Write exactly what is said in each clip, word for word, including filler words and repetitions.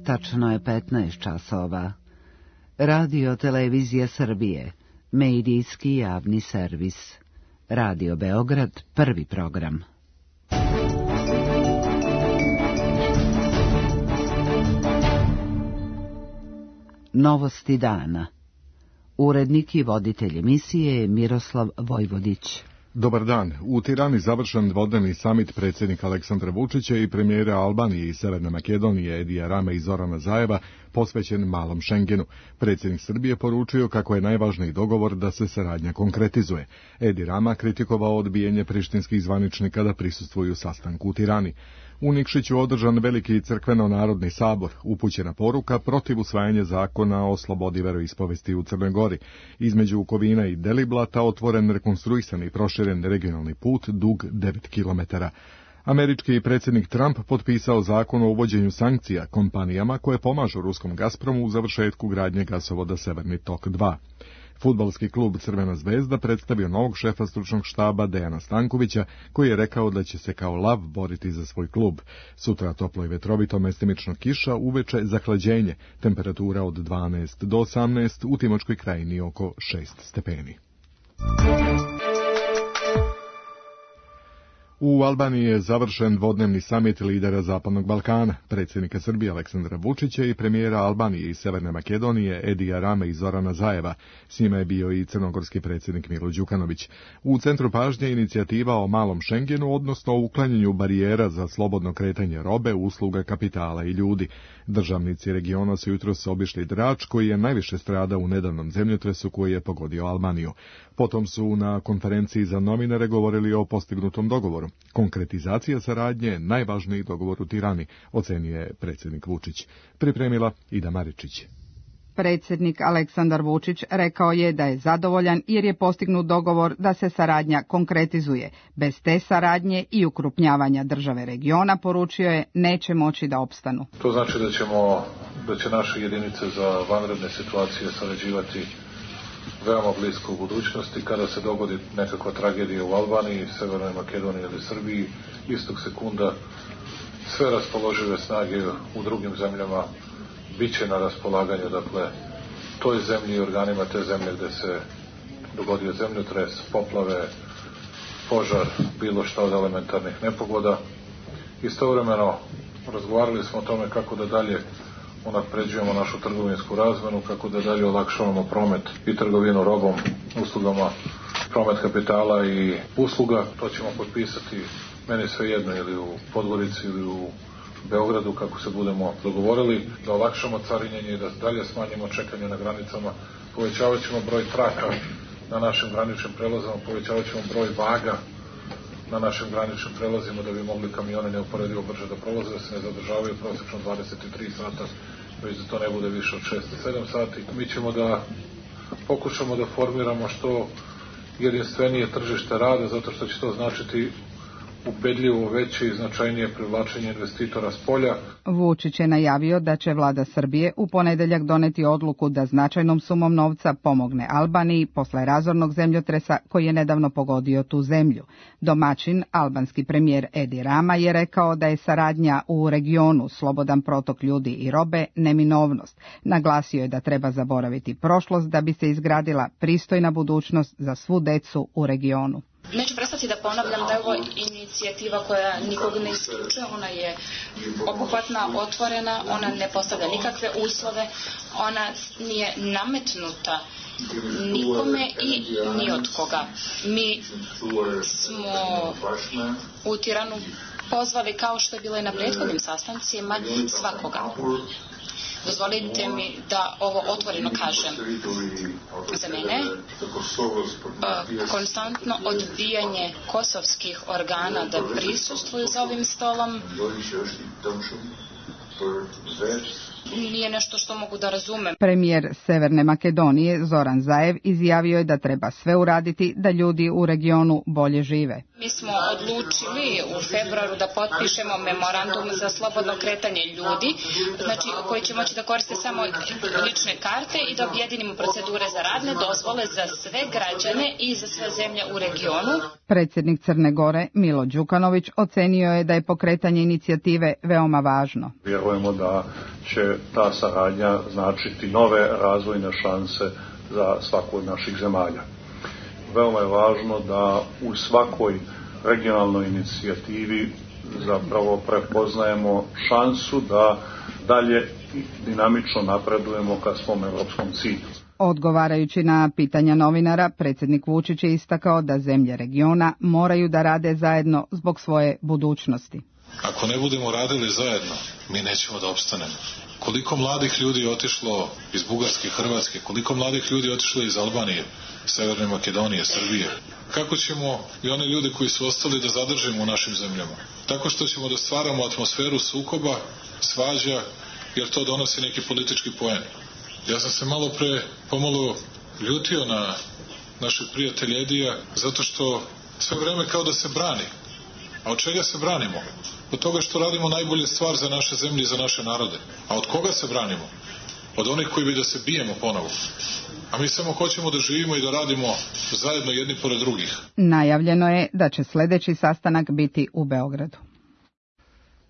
tačno je petnaest časova. Radio Televizija Srbije, medijski javni servis. Radio Beograd, prvi program. Novosti dana. Urednik i voditelj emisije je Miroslav Vojvodić. Dobar dan. U Tirani završen dvodnevni samit predsjednika Aleksandra Vučića i premijera Albanije i Severne Makedonije Edija Rame i Zorana Zajeva posvećen malom Šengenu. Predsjednik Srbije poručio kako je najvažniji dogovor da se saradnja konkretizuje. Edi Rama kritikovao odbijanje prištinskih zvaničnika da prisustvuju sastanku u Tirani. U Nikšiću održan veliki crkveno-narodni sabor, upućena poruka protiv usvajanja zakona o slobodi veroispovesti u Crnoj Gori. Između Kovina i Deliblata otvoren rekonstruisan i proširen regionalni put dug devet kilometara. Američki predsjednik Trump potpisao zakon o uvođenju sankcija kompanijama koje pomažu ruskom Gazpromu u završetku gradnje gasovoda Severni tok dva. Fudbalski klub Crvena zvezda predstavio novog šefa stručnog štaba Dejana Stankovića, koji je rekao da će se kao lav boriti za svoj klub. Sutra toplo i vetrovito, mestimično kiša, uveče zahlađenje, temperatura od dvanaest do osamnaest, u Timočkoj krajini oko šest stepeni. U Albaniji je završen dvodnevni samit lidera Zapadnog Balkana, predsjednika Srbije Aleksandra Vučića i premijera Albanije i Severne Makedonije Edija Rame i Zorana Zajeva. S njima je bio i crnogorski predsjednik Milo Đukanović. U centru pažnje inicijativa o malom Šengenu, odnosno o uklanjanju barijera za slobodno kretanje robe, usluga, kapitala i ljudi. Državnici regiona su jutros obišli Drač, koji je najviše stradao u nedavnom zemljotresu koji je pogodio Albaniju. Potom su na konferenciji za novinare govorili o postignutom dogovoru. Konkretizacija saradnje je najvažniji dogovor u Tirani, ocenio je predsjednik Vučić. Pripremila Ida Maričić. Predsjednik Aleksandar Vučić rekao je da je zadovoljan jer je postignut dogovor da se saradnja konkretizuje. Bez te saradnje i ukrupnjavanja države regiona, poručio je, neće moći da opstanu. To znači da ćemo, da će naše jedinice za vanredne situacije sarađivati veoma blisko u budućnosti. Kada se dogodi nekakva tragedija u Albaniji, Severnoj Makedoniji ili Srbiji, istog sekunda sve raspoložive snage u drugim zemljama biće na raspolaganju, dakle, toj zemlji i organima te zemlje gde se dogodio zemljotres, poplave, požar, bilo šta od elementarnih nepogoda. Istovremeno razgovarali smo o tome kako da dalje unapređujemo našu trgovinsku razmenu, kako da dalje olakšavamo promet i trgovinu robom, uslugama, promet kapitala i usluga. To ćemo potpisati, meni svejedno, ili u Podgorici ili u Beogradu, kako se budemo dogovorili, da olakšamo carinjenje i da dalje smanjimo čekanje na granicama. Povećavat ćemo broj traka na našim graničnim prelazima, povećavat ćemo broj vaga na našim graničnim prelazima da bi mogli kamione neuporedivo brže da prolaze, da se ne zadržavaju prosečno dvadeset tri sata, već da to ne bude više od šest do sedam sati. Mi ćemo da pokušamo da formiramo što jedinstvenije tržište rada, zato što će to značiti ubedljivo veće i značajnije privlačenje investitora s polja. Vučić je najavio da će vlada Srbije u ponedeljak doneti odluku da značajnom sumom novca pomogne Albaniji posle razornog zemljotresa koji je nedavno pogodio tu zemlju. Domaćin, albanski premijer Edi Rama, je rekao da je saradnja u regionu, slobodan protok ljudi i robe, neminovnost. Naglasio je da treba zaboraviti prošlost da bi se izgradila pristojna budućnost za svu decu u regionu. Neću prestati da ponavljam da je ovo inicijativa koja nikog ne isključuje, ona je obuhvatna, otvorena, ona ne postavlja nikakve uslove, ona nije nametnuta nikome i ni od koga. Mi smo u Tiranu pozvali, kao što je bilo i na prethodnim sastancima, svakoga. Dozvolite mi da ovo otvoreno kažem. Za mene konstantno odbijanje kosovskih organa da prisustvuju za ovim stolom nije nešto što mogu da razumem. Premijer Severne Makedonije Zoran Zaev izjavio je da treba sve uraditi da ljudi u regionu bolje žive. Mi smo odlučili u februaru da potpišemo memorandum za slobodno kretanje ljudi, znači koji će moći da koriste samo lične karte i da objedinimo procedure za radne dozvole za sve građane i za sve zemlje u regionu. Predsjednik Crne Gore, Milo Đukanović, ocenio je da je pokretanje inicijative veoma važno. Vjerujemo da će ta saradnja značiti nove razvojne šanse za svaku od naših zemalja. Veoma je važno da u svakoj regionalnoj inicijativi zapravo prepoznajemo šansu da dalje dinamično napredujemo ka svom evropskom cilju. Odgovarajući na pitanja novinara, predsjednik Vučić je istakao da zemlje regiona moraju da rade zajedno zbog svoje budućnosti. Ako ne budemo radili zajedno, mi nećemo da opstanemo. Koliko mladih ljudi je otišlo iz Bugarske, Hrvatske, koliko mladih ljudi je otišlo iz Albanije, Severne Makedonije, Srbije. Kako ćemo i one ljude koji su ostali da zadržimo u našim zemljama? Tako što ćemo da stvaramo atmosferu sukoba, svađa, jer to donosi neki politički poen. Ja sam se malo pre pomalo ljutio na našeg prijatelja Edija, zato što sve vreme kao da se brani. A od čega se branimo? Od toga što radimo najbolje stvar za naše zemlje i za naše narode. A od koga se branimo? Od onih koji bi da se bijemo ponovo. A mi samo hoćemo da živimo i da radimo zajedno jedni pored drugih. Najavljeno je da će sljedeći sastanak biti u Beogradu.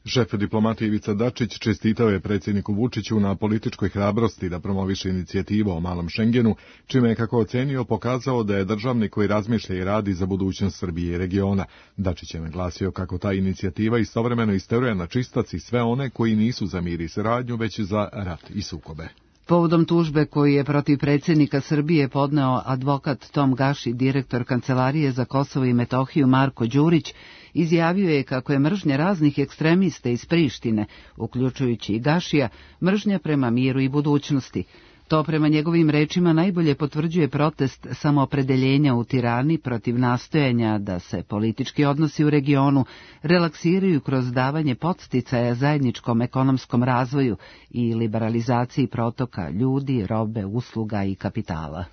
Šef diplomatije Ivica Dačić čestitao je predsjedniku Vučiću na političkoj hrabrosti da promoviše inicijativu o malom Šengenu, čime je, kako ocenio, pokazao da je državnik koji razmišlja i radi za budućnost Srbije i regiona. Dačić je naglasio kako ta inicijativa istovremeno isteruje na čistac i sve one koji nisu za mir i saradnju, već za rat i sukobe. Povodom tužbe koju je protiv predsjednika Srbije podneo advokat Tom Gaši, direktor Kancelarije za Kosovo i Metohiju Marko Đurić, izjavio je kako je mržnja raznih ekstremista iz Prištine, uključujući i Gašija, mržnja prema miru i budućnosti. To prema njegovim rečima najbolje potvrđuje protest samoopredeljenja u Tirani protiv nastojanja da se politički odnosi u regionu relaksiraju kroz davanje podsticaja zajedničkom ekonomskom razvoju i liberalizaciji protoka ljudi, robe, usluga i kapitala.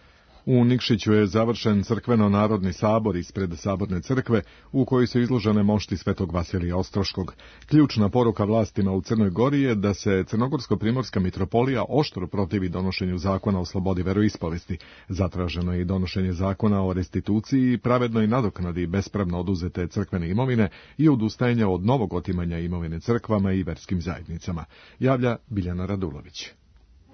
U Nikšiću je završen crkveno-narodni sabor ispred Saborne crkve, u kojoj su izložene mošti Svetog Vasilija Ostroškog. Ključna poruka vlastima u Crnoj Gori je da se Crnogorsko-primorska mitropolija oštro protivi donošenju zakona o slobodi veroispovesti. Zatraženo je i donošenje zakona o restituciji i pravednoj nadoknadi bespravno oduzete crkvene imovine i odustajanja od novog otimanja imovine crkvama i verskim zajednicama, javlja Biljana Radulović.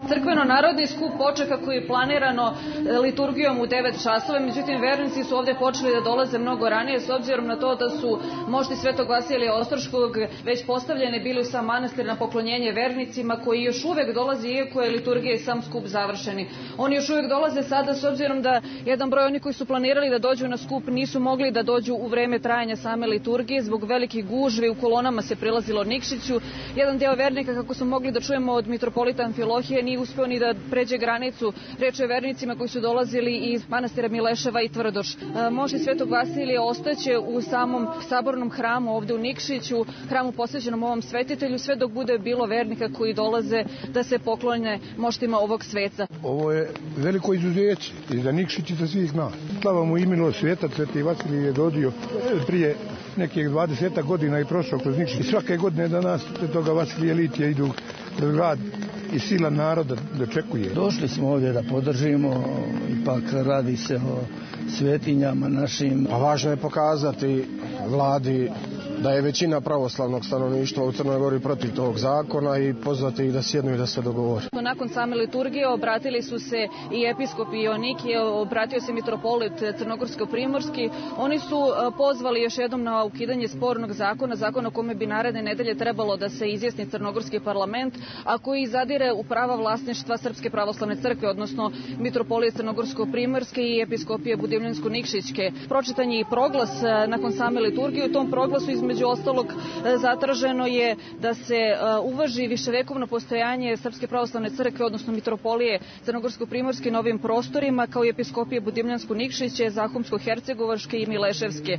Crkveno-narodni skup počeo kako je planirano liturgijom u devet časova, međutim vernici su ovdje počeli da dolaze mnogo ranije s obzirom na to da su mošti Svetog Vasilija Ostroškog već postavljene bili u sam manastir na poklonjenje vernicima koji još uvek dolaze iako je liturgija i sam skup završeni. Oni još uvek dolaze sada s obzirom da jedan broj oni koji su planirali da dođu na skup nisu mogli da dođu u vreme trajanja same liturgije zbog velikih gužvi, u kolonama se prilazilo Nikšiću. Jedan deo vernika, kako smo mogli da čujemo od mitropolita Amfilohije, nije uspeo ni da pređe granicu. Reč je o vernicima koji su dolazili iz manastira Mileševa i Tvrdoš. Mošti Svetog Vasilija ostaće u samom sabornom hramu ovde u Nikšiću, hramu posvećenom ovom svetitelju, sve dok bude bilo vernika koji dolaze da se poklone moštima ovog sveca. Ovo je veliko izuzeće i za Nikšić i za svih nas. Slava mu imenu sveta, Sveti Vasilij je dođio prije nekih dvadeset godina i prošao kroz Nikšić. I svake godine danas Svetoga Vasilija litija idu kroz grad i sila naroda dočekuje. Došli smo ovdje da podržimo, ipak radi se o svetinjama našim. Pa važno je pokazati vladi da je većina pravoslavnog stanovništva u Crnoj Gori protiv tog zakona i pozvati ih da sjednu i da se dogovore. Nakon same liturgije obratili su se i episkop Ionikije, obratio se mitropolit Crnogorsko-primorski. Oni su pozvali još jednom na ukidanje spornog zakona, zakona o kome bi naredne nedelje trebalo da se izjasni Crnogorski parlament, a koji zadire u prava vlasništva Srpske pravoslavne crkve, odnosno mitropolije Crnogorsko-primorske i episkopije Budimljansko-Nikšićke. Pročitan je i proglas nakon same liturgije. U tom proglasu između ostalog zatraženo je da se uvaži viševekovno postojanje Srpske pravoslavne crkve, odnosno mitropolije Crnogorsko-primorske na ovim prostorima, kao i episkopije Budimljansko-Nikšiće, Zahumsko-hercegovačke i Mileševske.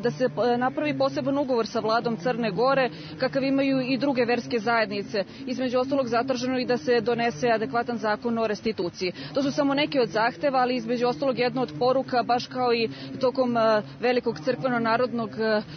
Da se napravi poseban ugovor sa vladom Crne Gore, kakav imaju i druge verske zajednice. Između ostalog zatraženo i da se donese adekvatan zakon o restituciji. To su samo neke od zahteva, ali između ostalog jedna od poruka, baš kao i tokom velikog crkveno-narodnog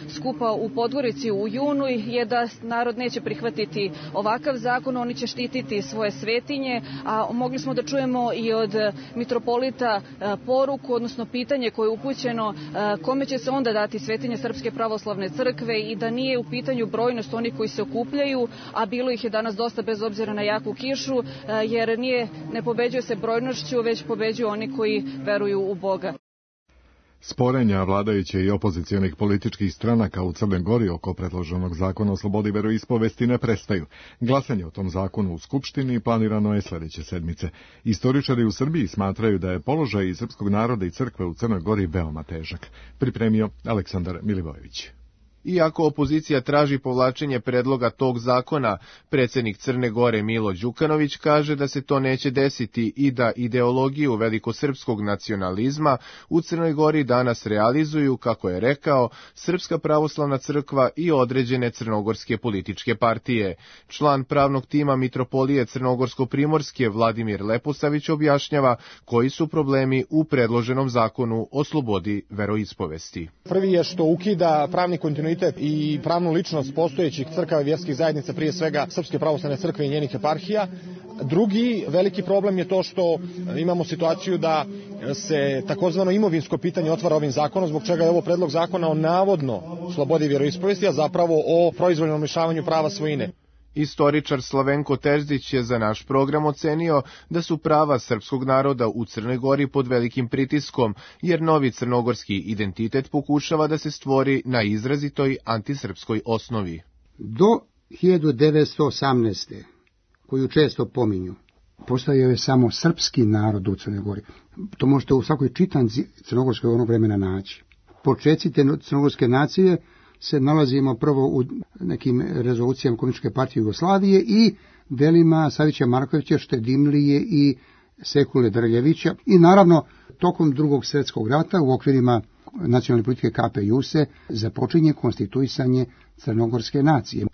skupa u Podgorici u junu je da narod neće prihvatiti ovakav zakon, oni će štititi svoje svetinje, a mogli smo da čujemo i od mitropolita poruku, odnosno pitanje koje je upućeno kome će se onda dati svetinje Srpske pravoslavne crkve i da nije u pitanju brojnost onih koji se okupljaju, a bilo ih je danas dosta bez obzira na jaku kišu, jer nije, ne pobeđuje se brojnošću, već pobeđuju oni koji veruju u Boga. Sporenja vladajuće i opozicionih političkih stranaka u Crnoj Gori oko predloženog zakona o slobodi veroispovesti ne prestaju. Glasanje o tom zakonu u Skupštini planirano je sledeće sedmice. Istoričari u Srbiji smatraju da je položaj i srpskog naroda i crkve u Crnoj Gori veoma težak. Pripremio Aleksandar Milivojević. Iako opozicija traži povlačenje predloga tog zakona, predsjednik Crne Gore Milo Đukanović kaže da se to neće desiti i da ideologiju velikosrpskog nacionalizma u Crnoj Gori danas realizuju, kako je rekao, Srpska pravoslavna crkva i određene crnogorske političke partije. Član pravnog tima Mitropolije Crnogorsko-Primorske Vladimir Leposavić objašnjava koji su problemi u predloženom zakonu o slobodi veroispovesti. Prvi je što ukida pravni kontinuitet i pravnu ličnost postojećih crkava i vjerskih zajednica, prije svega Srpske pravoslavne crkve i njenih eparhija. Drugi veliki problem je to što imamo situaciju da se takozvano imovinsko pitanje otvara ovim zakonom, zbog čega je ovo predlog zakona o navodno slobodi vjeroispovesti, a zapravo o proizvoljnom lišavanju prava svojine. Istoričar Slavenko Terzić je za naš program ocenio da su prava srpskog naroda u Crnoj Gori pod velikim pritiskom, jer novi crnogorski identitet pokušava da se stvori na izrazitoj antisrpskoj osnovi. Do hiljadu devetsto osamnaeste. koju često pominju, postojao je samo srpski narod u Crnoj Gori. To možete u svakoj čitanci crnogorskog onog vremena naći. Počeci te crnogorske nacije se nalazimo prvo u nekim rezolucijama Komunističke partije Jugoslavije i delima Savića Markovića, Štedimlije i Sekule Drljevića i naravno tokom Drugog svjetskog rata u okvirima nacionalne politike K P J U S E započinje konstituisanje crnogorske nacije.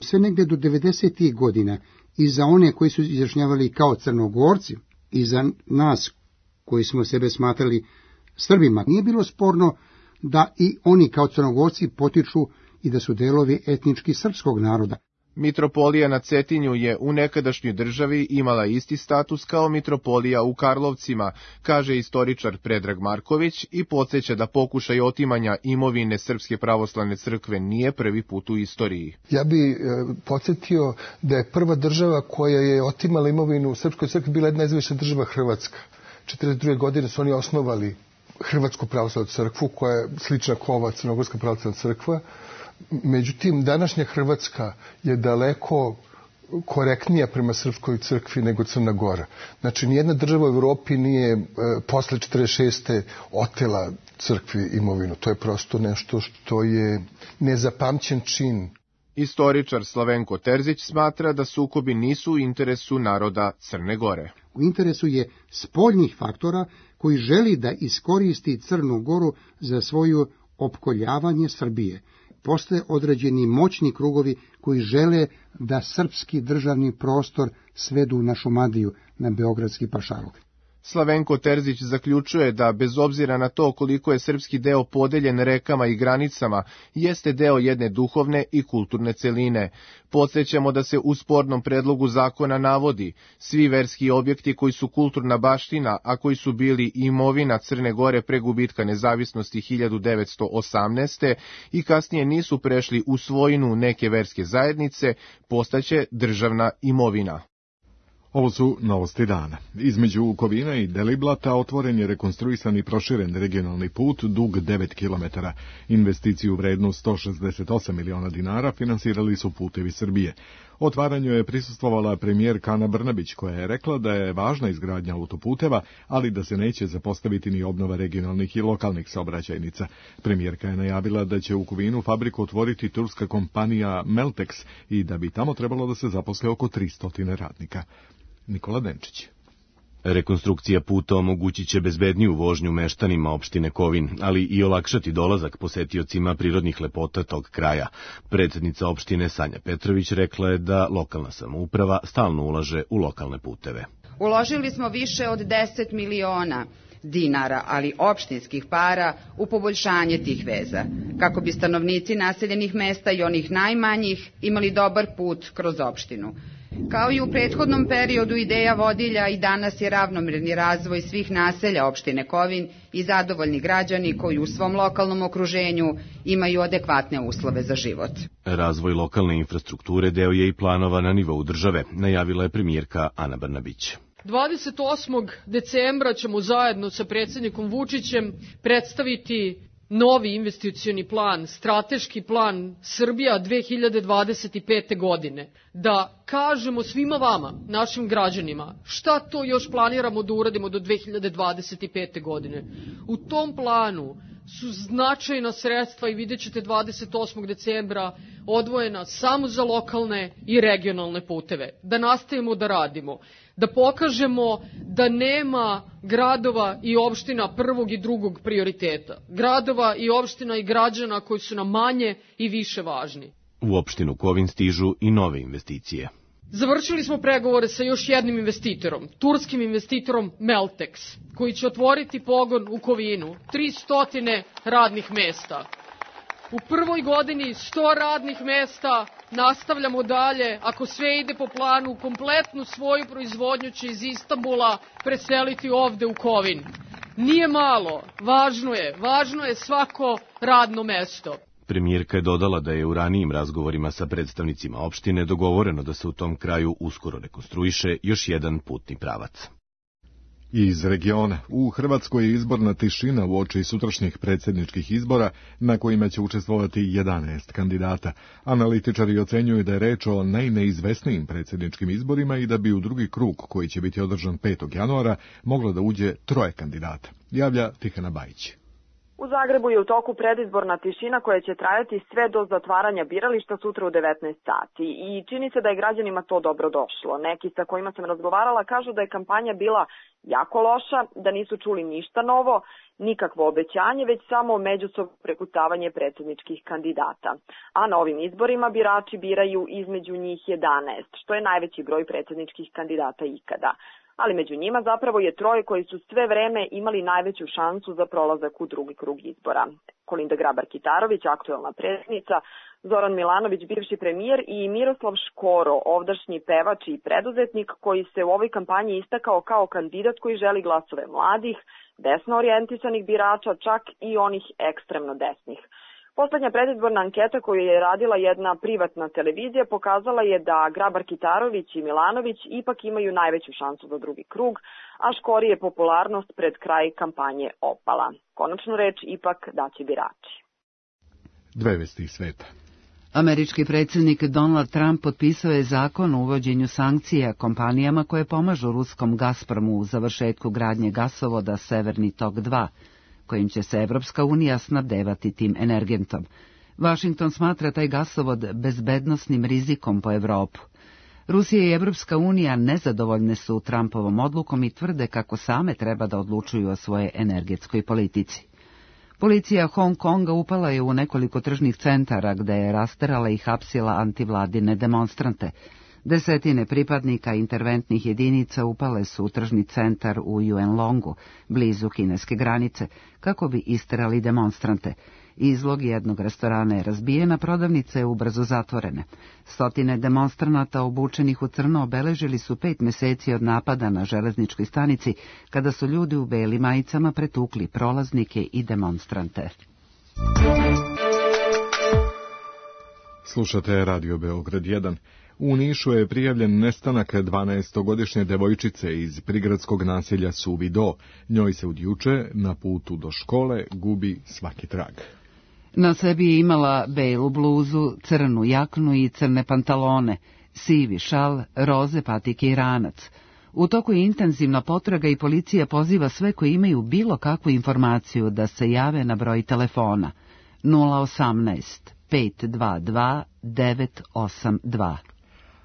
Sve negde do devedesetih godina i za one koji su izjašnjavali kao Crnogorci i za nas koji smo sebe smatrali Srbima, nije bilo sporno da i oni kao Crnogorci potiču i da su delovi etnički srpskog naroda. Mitropolija na Cetinju je u nekadašnjoj državi imala isti status kao mitropolija u Karlovcima, kaže istoričar Predrag Marković i podsjeća da pokušaj otimanja imovine Srpske pravoslavne crkve nije prvi put u istoriji. Ja bi e, podsjetio da je prva država koja je otimala imovinu u Srpskoj crkvi bila jedna nezavisna država Hrvatska. četrdeset druge godine su oni osnovali Hrvatsku pravoslavnu crkvu, koja je slična kao ova Crnogorska pravoslavna crkva. Međutim, današnja Hrvatska je daleko korektnija prema Srpskoj crkvi nego Crna Gora. Znači, nijedna država u Evropi nije e, posle četrdeset šeste otela crkvi imovinu. To je prosto nešto što je nezapamćen čin. Istoričar Slavenko Terzić smatra da sukobi nisu u interesu naroda Crne Gore. U interesu je spoljnih faktora koji želi da iskoristi Crnu Goru za svoju opkoljavanje Srbije. Postoje određeni moćni krugovi koji žele da srpski državni prostor svedu na Šumadiju, na beogradski pašaluk. Slavenko Terzić zaključuje da, bez obzira na to koliko je srpski deo podeljen rekama i granicama, jeste deo jedne duhovne i kulturne celine. Podsjećamo da se u spornom predlogu zakona navodi svi verski objekti koji su kulturna baština, a koji su bili imovina Crne Gore pre gubitka nezavisnosti hiljadu devetsto osamnaeste. i kasnije nisu prešli u svojinu neke verske zajednice, postaće državna imovina. Ovo su novosti dana. Između Kovina i Deliblata otvoren je rekonstruisan i proširen regionalni put dug devet kilometara. Investiciju vrednu sto šezdeset osam miliona dinara finansirali su Putevi Srbije. Otvaranju je prisustvovala premijerka Ana Brnabić, koja je rekla da je važna izgradnja autoputeva, ali da se neće zapostaviti ni obnova regionalnih i lokalnih saobraćajnica. Premijerka je najavila da će u Kovinu fabriku otvoriti turska kompanija Meltex i da bi tamo trebalo da se zaposle oko tristo radnika. Nikola Denčić. Rekonstrukcija puta omogućit će bezbedniju vožnju meštanima opštine Kovin, ali i olakšati dolazak posetiocima prirodnih lepota tog kraja. Predsjednica opštine Sanja Petrović rekla je da lokalna samouprava stalno ulaže u lokalne puteve. Uložili smo više od deset miliona dinara, ali opštinskih para, u poboljšanje tih veza, kako bi stanovnici naseljenih mesta i onih najmanjih imali dobar put kroz opštinu. Kao i u prethodnom periodu, ideja vodilja i danas je ravnomerni razvoj svih naselja opštine Kovin i zadovoljni građani koji u svom lokalnom okruženju imaju adekvatne uslove za život. Razvoj lokalne infrastrukture deo je i planova na nivou države, najavila je premijerka Ana Brnabić. dvadeset osmog decembra ćemo zajedno sa predsjednikom Vučićem predstaviti novi investicioni plan, strateški plan Srbija dve hiljade dvadeset pete. godine, da kažemo svima vama, našim građanima, šta to još planiramo da uradimo do dve hiljade dvadeset pete. godine. U tom planu su značajna sredstva i vidjet ćete dvadeset osmog decembra odvojena samo za lokalne i regionalne puteve. Da nastavimo da radimo, da pokažemo da nema gradova i opština prvog i drugog prioriteta. Gradova i opština i građana koji su nam manje i više važni. U opštinu Kovin stižu i nove investicije. Završili smo pregovore sa još jednim investitorom, turskim investitorom Meltex, koji će otvoriti pogon u Kovinu, tristo radnih mesta. U prvoj godini sto radnih mesta, nastavljamo dalje, ako sve ide po planu, kompletnu svoju proizvodnju će iz Istanbula preseliti ovde u Kovin. Nije malo, važno je, važno je svako radno mesto. Premijerka je dodala da je u ranijim razgovorima sa predstavnicima opštine dogovoreno da se u tom kraju uskoro rekonstruiše još jedan putni pravac. Iz regiona, u Hrvatskoj je izborna tišina uoči sutrašnjih predsjedničkih izbora na kojima će učestvovati jedanaest kandidata. Analitičari ocenjuju da je reč o najneizvesnijim predsjedničkim izborima i da bi u drugi krug, koji će biti održan petog januara, moglo da uđe troje kandidata. Javlja Tihana Bajić. U Zagrebu je u toku predizborna tišina koja će trajati sve do zatvaranja birališta sutra u devetnaest sati i čini se da je građanima to dobro došlo. Neki sa kojima sam razgovarala kažu da je kampanja bila jako loša, da nisu čuli ništa novo, nikakvo obećanje, već samo međusobno prekucavanje predsjedničkih kandidata. A na ovim izborima birači biraju između njih jedanaest, što je najveći broj predsjedničkih kandidata ikada. Ali među njima zapravo je troje koji su sve vreme imali najveću šansu za prolazak u drugi krug izbora. Kolinda Grabar-Kitarović, aktuelna predsjednica, Zoran Milanović, bivši premijer i Miroslav Škoro, ovdašnji pevač i preduzetnik koji se u ovoj kampanji istakao kao kandidat koji želi glasove mladih, desno orijentisanih birača, čak i onih ekstremno desnih. Poslednja predizborna anketa koju je radila jedna privatna televizija pokazala je da Grabar-Kitarović i Milanović ipak imaju najveću šansu za drugi krug, a Škori je popularnost pred kraj kampanje opala. Konačnu reč ipak daće birači. Dve vesti iz sveta. Američki predsjednik Donald Trump potpisao je zakon o uvođenju sankcija kompanijama koje pomažu ruskom Gazpromu u završetku gradnje gasovoda Severni tok dva, kojim će se Evropska unija snabdevati tim energentom. Washington smatra taj gasovod bezbednosnim rizikom po Evropu. Rusija i Evropska unija nezadovoljne su Trumpovom odlukom i tvrde kako same treba da odlučuju o svoje energetskoj politici. Policija Hong Konga upala je u nekoliko tržnih centara gde je rasterala i hapsila antivladine demonstrante. Desetine pripadnika interventnih jedinica upale su u tržni centar u Yuenlongu, blizu kineske granice, kako bi isterali demonstrante. Izlog jednog restorana je razbijena, prodavnice ubrzo zatvorene. Stotine demonstranata obučenih u crno obeležili su pet meseci od napada na železničkoj stanici, kada su ljudi u belim majicama pretukli prolaznike i demonstrante. Slušate Radio Beograd jedan. U Nišu je prijavljen nestanak dvanaestogodišnje devojčice iz prigradskog naselja Suvi Do. Njoj se od juče na putu do škole gubi svaki trag. Na sebi je imala belu bluzu, crnu jaknu i crne pantalone, sivi šal, roze patike i ranac. U toku je intenzivna potraga i policija poziva sve koji imaju bilo kakvu informaciju da se jave na broj telefona nula osamnaest pet dva dva devet osam dva.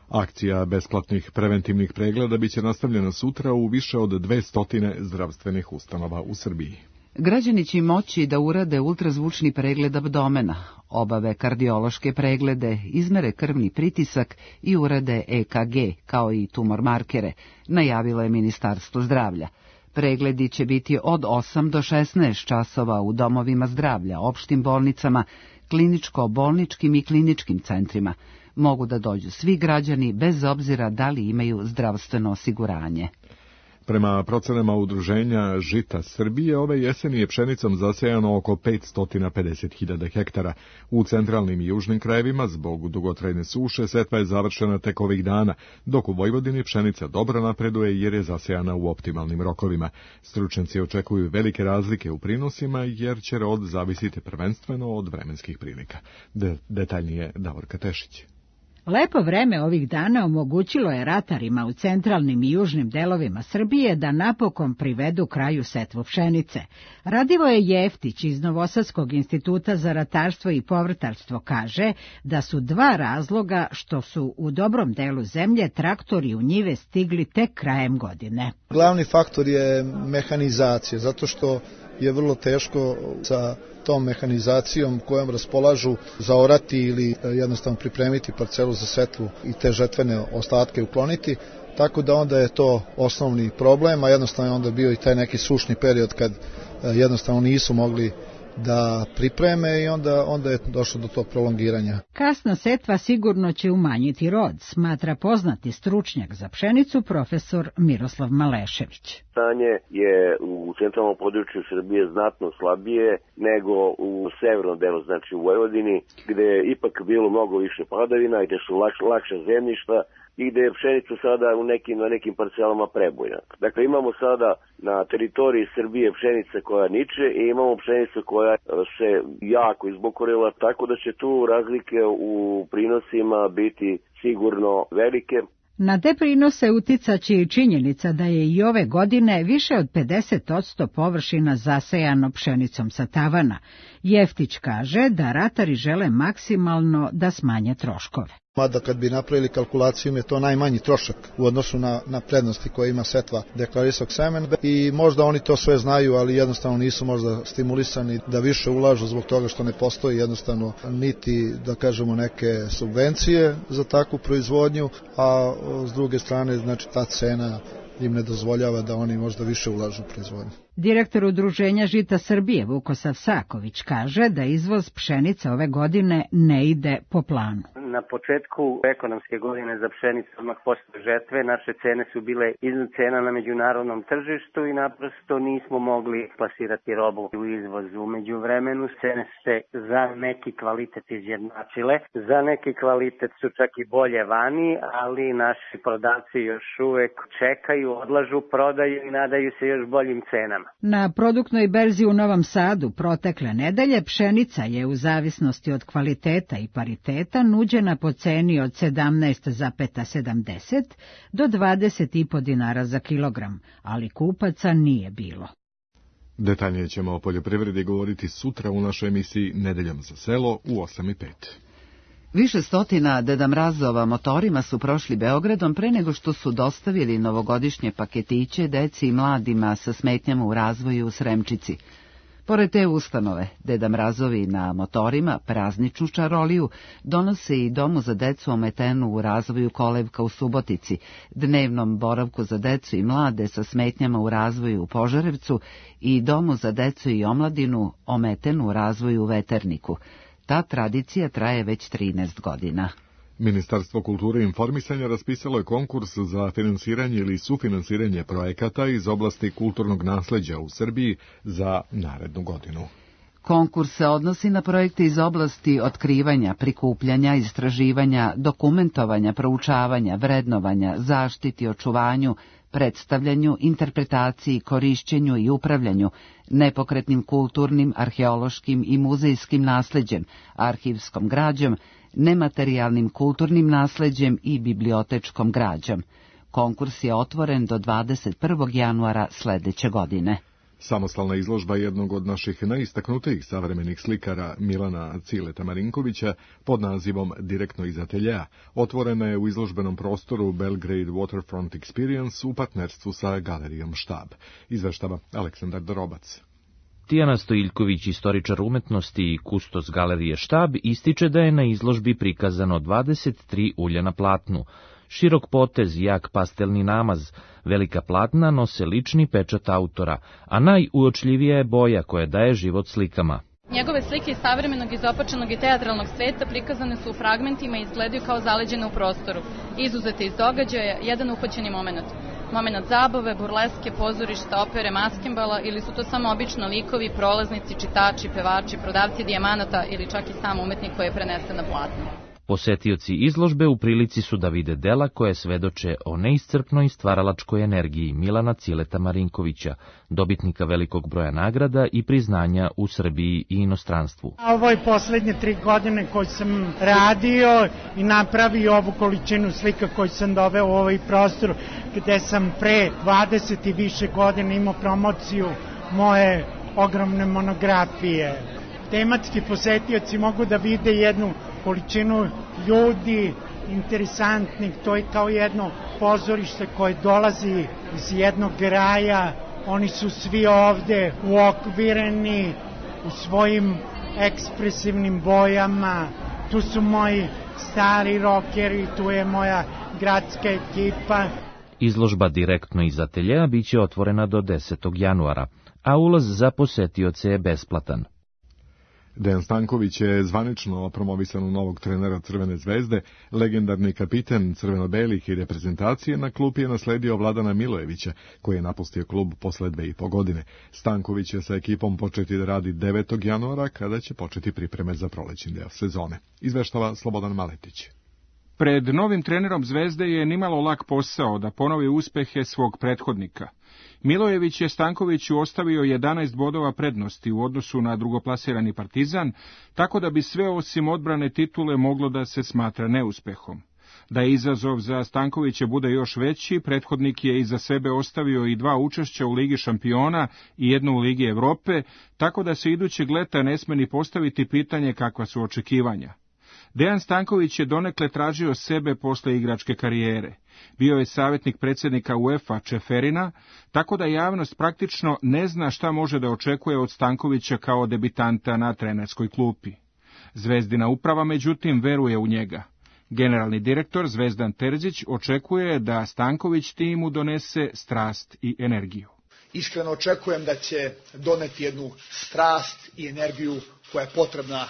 Akcija besplatnih preventivnih pregleda biće nastavljena sutra u više od dvesta zdravstvenih ustanova u Srbiji. Građani će moći da urade ultrazvučni pregled abdomena, obave kardiološke preglede, izmere krvni pritisak i urade E K G, kao i tumor markere, najavilo je Ministarstvo zdravlja. Pregledi će biti od osam do šesnaest časova u domovima zdravlja, opštim bolnicama, kliničko-bolničkim i kliničkim centrima. Mogu da dođu svi građani bez obzira da li imaju zdravstveno osiguranje. Prema procenama udruženja Žita Srbije, ove jeseni je pšenicom zasejano oko petsto pedeset hiljada hektara. U centralnim i južnim krajevima zbog dugotrajne suše setva je završena tek ovih dana, dok u Vojvodini pšenica dobro napreduje jer je zasejana u optimalnim rokovima. Stručnjaci očekuju velike razlike u prinosima jer će rod zavisiti prvenstveno od vremenskih prilika. De- detaljnije Davorka Tešić. Lepo vreme ovih dana omogućilo je ratarima u centralnim i južnim delovima Srbije da napokon privedu kraju setvu pšenice. Radivoje Jeftić iz Novosadskog instituta za ratarstvo i povrtarstvo kaže da su dva razloga što su u dobrom delu zemlje traktori u njive stigli tek krajem godine. Glavni faktor je mehanizacija, zato što je vrlo teško sa tom mehanizacijom kojom raspolažu zaorati ili jednostavno pripremiti parcelu za setvu i te žetvene ostatke ukloniti, tako da onda je to osnovni problem, a jednostavno je onda bio i taj neki sušni period kad jednostavno nisu mogli da pripreme i onda, onda je došlo do tog prolongiranja. Kasna setva sigurno će umanjiti rod, smatra poznati stručnjak za pšenicu profesor Miroslav Malešević. Stanje je u centralnom području Srbije znatno slabije nego u severnom delu, znači u Vojvodini, gde je ipak bilo mnogo više padavina i gde su lak, lakša zemljišta i gde je pšenica sada u nekim, na nekim parcelama prebojna. Dakle, imamo sada na teritoriji Srbije pšenice koja niče i imamo pšenicu koja se jako izbokorila, tako da će tu razlike u prinosima biti sigurno velike. Na te prinose uticaće i činjenica da je i ove godine više od pedeset posto površina zasejano pšenicom sa tavana. Jeftić kaže da ratari žele maksimalno da smanje troškove. Mada kad bi napravili kalkulaciju je to najmanji trošak u odnosu na, na prednosti koje ima setva deklarisanog semena i možda oni to sve znaju, ali jednostavno nisu možda stimulisani da više ulažu zbog toga što ne postoji jednostavno niti, da kažemo, neke subvencije za takvu proizvodnju, a s druge strane znači ta cena im ne dozvoljava da oni možda više ulažu u proizvodnju. Direktor Udruženja Žita Srbije Vukosav Saković kaže da izvoz pšenice ove godine ne ide po planu. Na početku ekonomske godine za pšenicu odmah posle žetve naše cene su bile iznad cena na međunarodnom tržištu i naprosto nismo mogli plasirati robu u izvozu. U međuvremenu cene se za neki kvalitet izjednačile, za neki kvalitet su čak i bolje vani, ali naši prodavci još uvek čekaju, odlažu prodaju i nadaju se još boljim cenama. Na produktnoj berzi u Novom Sadu protekle nedelje pšenica je u zavisnosti od kvaliteta i pariteta nuđena po ceni od sedamnaest zarez sedamdeset do dvadeset i po dinara za kilogram, ali kupaca nije bilo. Detaljnije ćemo o poljoprivredi govoriti sutra u našoj emisiji Nedeljom za selo u osam i pet. Više stotina Deda Mrazova motorima su prošli Beogradom pre nego što su dostavili novogodišnje paketiće deci i mladima sa smetnjama u razvoju u Sremčici. Pored te ustanove, Deda Mrazovi na motorima prazničnu čaroliju donose i Domu za decu ometenu u razvoju Kolevka u Subotici, dnevnom boravku za decu i mlade sa smetnjama u razvoju u Požarevcu i Domu za decu i omladinu ometenu u razvoju u Veterniku. Ta tradicija traje već trinaest godina. Ministarstvo kulture i informisanja raspisalo je konkurs za finansiranje ili sufinansiranje projekata iz oblasti kulturnog nasleđa u Srbiji za narednu godinu. Konkurs se odnosi na projekte iz oblasti otkrivanja, prikupljanja, istraživanja, dokumentovanja, proučavanja, vrednovanja, zaštiti, očuvanju, predstavljanju, interpretaciji, korišćenju i upravljanju nepokretnim kulturnim, arheološkim i muzejskim nasleđem, arhivskom građom, nematerijalnim kulturnim nasleđem i bibliotečkom građom. Konkurs je otvoren do dvadeset prvog januara sledeće godine. Samostalna izložba jednog od naših najistaknutijih savremenih slikara Milana Cileta Marinkovića pod nazivom Direktno iz ateljea otvorena je u izložbenom prostoru Belgrade Waterfront Experience u partnerstvu sa galerijom Štab. Izveštava Aleksandar Dorobac. Tijana Stojiljković, istoričar umetnosti i kustos galerije Štab, ističe da je na izložbi prikazano dvadeset tri ulja na platnu. Širok potez, jak pastelni namaz, velika platna nose lični pečat autora, a najuočljivija je boja koja daje život slikama. Njegove slike iz savremenog, izopačenog i teatralnog sveta prikazane su u fragmentima i izgledaju kao zaleđene u prostoru, izuzete iz događaja, jedan uhvaćeni moment. Moment zabave, burleske, pozorišta, opere, maskembala ili su to samo obično likovi, prolaznici, čitači, pevači, prodavci dijamanata ili čak i sam umetnik koji je prenesen na platno. Posetioci izložbe u prilici su da vide dela koje svedoče o neiscrpnoj stvaralačkoj energiji Milana Cileta Marinkovića, dobitnika velikog broja nagrada i priznanja u Srbiji i inostranstvu. Ovo je poslednje tri godine koji sam radio i napravio ovu količinu slika koju sam doveo u ovaj prostor gde sam pre dvadeset i više godina imao promociju moje ogromne monografije. Tematski posetioci mogu da vide jednu količinu ljudi interesantnih, to je kao jedno pozorište koje dolazi iz jednog kraja, oni su svi ovde uokvireni u svojim ekspresivnim bojama, tu su moji stari rokeri, tu je moja gradska ekipa. Izložba direktno iz ateljea biće otvorena do desetog januara, a ulaz za posetioce je besplatan. Dejan Stanković je zvanično promovisan u novog trenera Crvene zvezde, legendarni kapiten crveno-belih i reprezentacije na klupi je nasledio Vladana Milojevića, koji je napustio klub posle dve i po godine. Stanković će sa ekipom početi da radi devetog januara, kada će početi pripreme za prolećni deo sezone. Izveštava Slobodan Maletić. Pred novim trenerom Zvezde je nimalo lak posao da ponovi uspehe svog prethodnika. Milojević je Stankoviću ostavio jedanaest bodova prednosti u odnosu na drugoplasirani Partizan, tako da bi sve osim odbrane titule moglo da se smatra neuspehom. Da je izazov za Stankovića bude još veći, prethodnik je iza sebe ostavio i dva učešća u Ligi šampiona i jednu u Ligi Evrope, tako da se idućeg leta ne sme ni postaviti pitanje kakva su očekivanja. Dejan Stanković je donekle tražio sebe posle igračke karijere. Bio je savjetnik predsjednika UEFA Čeferina, tako da javnost praktično ne zna šta može da očekuje od Stankovića kao debitanta na trenerskoj klupi. Zvezdina uprava, međutim, veruje u njega. Generalni direktor Zvezdan Terzić očekuje da Stanković timu donese strast i energiju. Iskreno očekujem da će doneti jednu strast i energiju koja je potrebna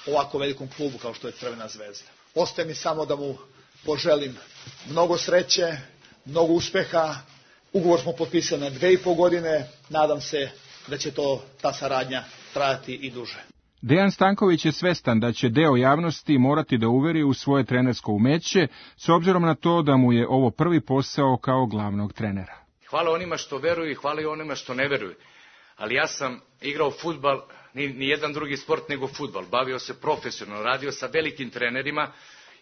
ovako velikom klubu kao što je Crvena zvezda. Ostaje mi samo da mu poželim mnogo sreće, mnogo uspeha. Ugovor smo potpisali na dve i po godine. Nadam se da će to, ta saradnja trajati i duže. Dejan Stanković je svestan da će deo javnosti morati da uveri u svoje trenersko umeće, s obzirom na to da mu je ovo prvi posao kao glavnog trenera. Hvala onima što veruju i hvala i onima što ne veruju. Ali ja sam igrao fudbal, ni, ni jedan drugi sport nego fudbal. Bavio se profesionalno, radio sa velikim trenerima,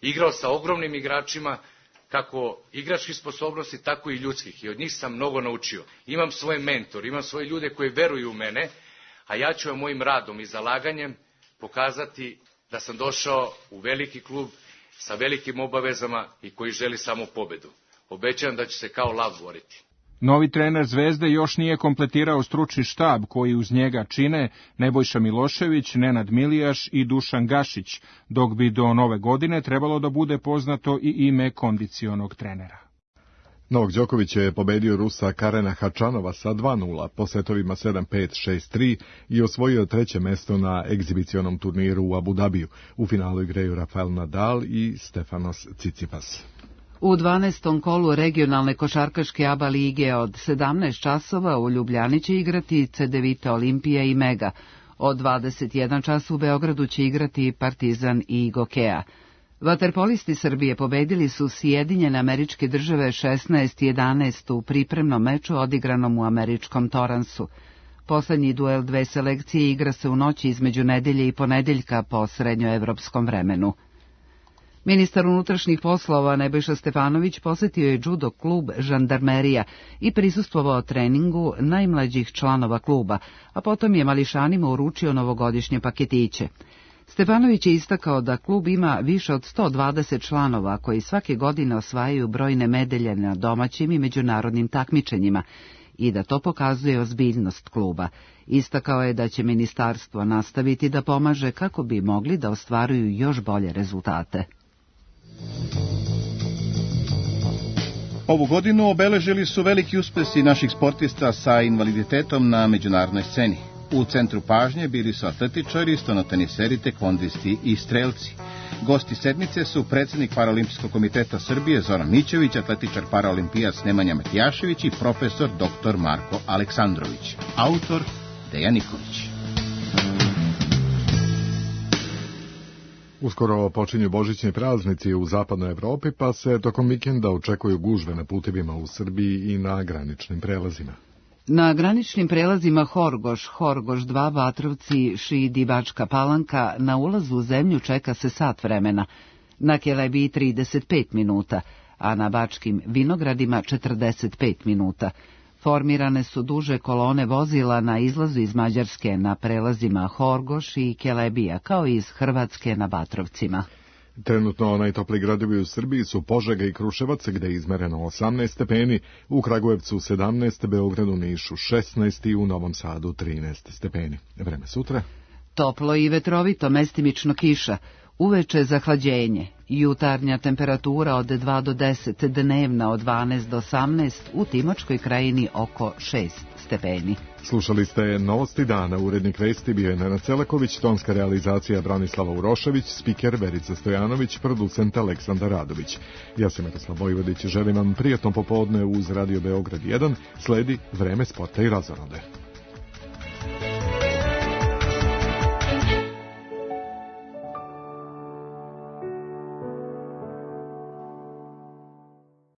igrao sa ogromnim igračima, kako igračkih sposobnosti, tako i ljudskih. I od njih sam mnogo naučio. Imam svoje mentor, imam svoje ljude koji veruju u mene, a ja ću mojim radom i zalaganjem pokazati da sam došao u veliki klub sa velikim obavezama i koji želi samo pobedu. Obećavam da ću se kao lav boriti. Novi trener Zvezde još nije kompletirao stručni štab koji uz njega čine Nebojša Milošević, Nenad Milijaš i Dušan Gašić, dok bi do nove godine trebalo da bude poznato i ime kondicionog trenera. Novak Đoković je pobedio Rusa Karena Hačanova sa dva nula po setovima sedam pet šest tri i osvojio treće mesto na egzibicionom turniru u Abu Dabiju. U finalu igraju Rafael Nadal i Stefanos Tsitsipas. U dvanaestom kolu regionalne košarkaške ABA lige od sedamnaest časova u Ljubljani će igrati Cedevita Olimpija i Mega. Od dvadeset jedan čas u Beogradu će igrati Partizan i Gokea. Vaterpolisti Srbije pobedili su Sjedinjene Američke Države šesnaest jedanaest u pripremnom meču odigranom u američkom Toransu. Poslednji duel dve selekcije igra se u noći između nedelje i ponedeljka po srednjoevropskom vremenu. Ministar unutrašnjih poslova Nebojša Stefanović posetio je judo klub Žandarmerija i prisustvovao treningu najmlađih članova kluba, a potom je mališanima uručio novogodišnje paketiće. Stefanović je istakao da klub ima više od sto dvadeset članova koji svake godine osvajaju brojne medalje na domaćim i međunarodnim takmičenjima i da to pokazuje ozbiljnost kluba. Istakao je da će ministarstvo nastaviti da pomaže kako bi mogli da ostvaruju još bolje rezultate. Ovu godinu obeležili su veliki uspesi naših sportista sa invaliditetom na međunarodnoj sceni. U centru pažnje bili su atletičari, stonoteniseri, tekvondisti i strelci. Gosti sedmice su predsjednik Paraolimpijskog komiteta Srbije Zoran Mićević, atletičar paraolimpijac Nemanja Matijašević i profesor doktor Marko Aleksandrović. Autor Dejan Nikolić. Uskoro počinju božićni praznici u zapadnoj Evropi, pa se tokom vikenda očekuju gužve na putevima u Srbiji i na graničnim prelazima. Na graničnim prelazima Horgoš, Horgoš dva, Vatrovci, Šid i Bačka Palanka na ulazu u zemlju čeka se sat vremena, na Kelebiji trideset pet minuta, a na Bačkim Vinogradima četrdeset pet minuta. Formirane su duže kolone vozila na izlazu iz Mađarske na prelazima Horgoš i Kelebija, kao i iz Hrvatske na Vatrovcima. Trenutno najtopliji gradovi u Srbiji su Požega i Kruševac, gde je izmereno osamnaest stepeni, u Kragujevcu sedamnaest, Beogradu, Nišu šesnaest i u Novom Sadu trinaest stepeni. Vreme sutra? Toplo i vetrovito, mestimično kiša, uveče zahlađenje, jutarnja temperatura od dva do deset, dnevna od dvanaest do osamnaest, u Timočkoj krajini oko šest stepeni. Slušali ste Novosti dana, urednik vesti bio je Nenad Celaković, tonska realizacija Branislava Urošević, spiker Verica Stojanović, producent Aleksandar Radović. Ja sam Miroslav Vojvodić, želim vam prijatno popodne uz Radio Beograd jedan, sledi Vreme sporta i razonode.